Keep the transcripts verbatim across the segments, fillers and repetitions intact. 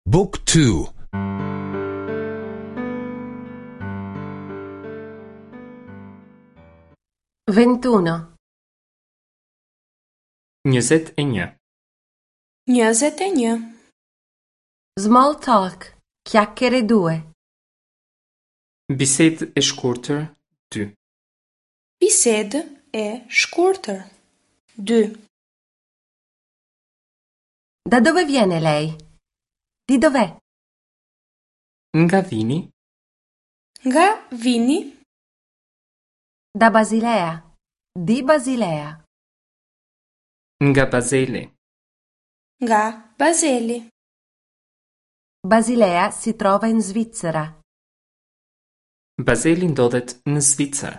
Book two. Ventuno. Njëzet e një. Njëzet e një. Small talk. Chiacchiere due. Bisedë e shkurtër dy. Bisedë e shkurtër dy. Da dove viene lei? Di dov'è? Nga vini? Nga vini? Da Basilea. Di Basilea. Nga Bazeli. Nga Bazeli. Basilea si trova in Svizzera. Bazeli ndodhet në Zvicër.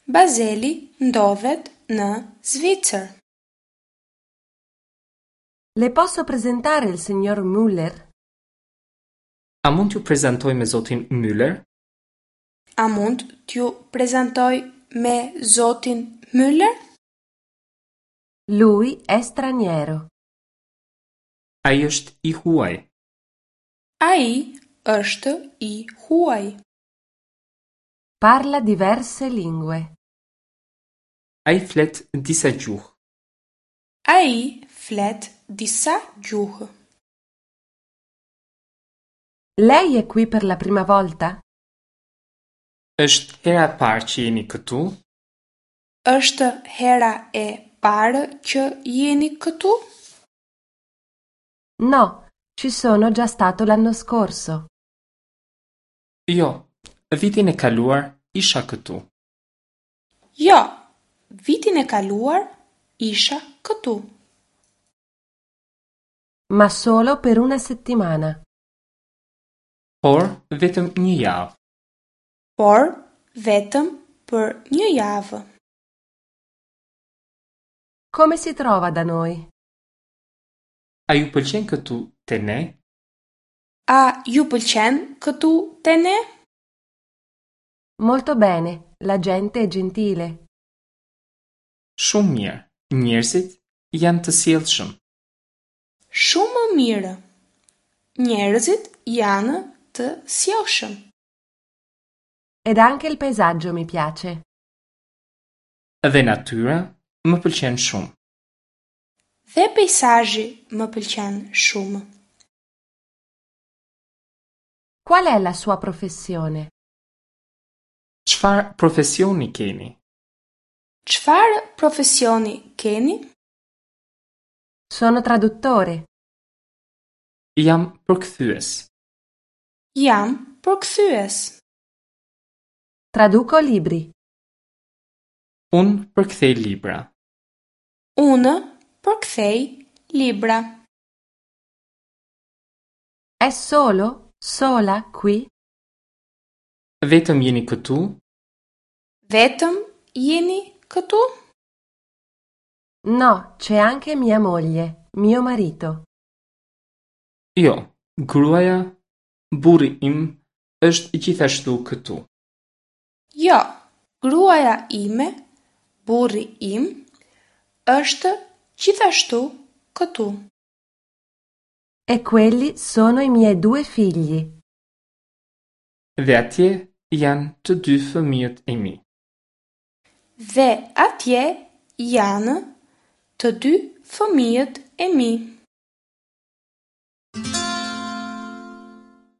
Bazeli ndodhet në Zvicër. Le posso presentare il signor Müller? A mund t'ju prezantoj me zotin Müller? A mund t'ju prezantoj me zotin Müller? Lui è straniero. Ai është i huaj. Ai është i huaj. Parla diverse lingue. Ai flet disa gjuhë. Ai flet disa gjuhë. Lei è qui per la prima volta? Është hera e parë që jeni këtu? Është hera e parë që jeni këtu? No, ci sono già stato l'anno scorso. Jo, vitin e kaluar isha këtu. Jo, vitin e kaluar isha këtu. Ma solo per una settimana. Por vetëm një javë. Por vetëm për një javë. Come si trova da noi? A ju pëlqen këtu te ne? A ju pëlqen këtu te ne? Molto bene, la gente è gentile. Shumë mirë, njerëzit janë të sjellshëm. Shumë mirë. Njerëzit janë të sjellshëm. Ed anche il paesaggio mi piace. Dhe natyra më pëlqen shumë. Dhe peizazhi më pëlqen shumë. Qual è la sua professione? Çfarë profesioni keni? Çfarë profesioni keni? Sono traduttore. Jam përkthyes. Jam përkthyes. Traduco libri. Unë përkthej libra. Unë përkthej libra. È solo? Sola qui? Vetëm jeni këtu? Vetëm jeni këtu? No, c'è anche mia moglie, mio marito. Jo, gruaja, burri im është gjithashtu këtu. Jo, gruaja ime, burri im, është gjithashtu këtu. E quelli sono i miei due figli. Dhe atje janë të dy fëmijët e mi. Dhe atje janë të dy fëmijët e mi.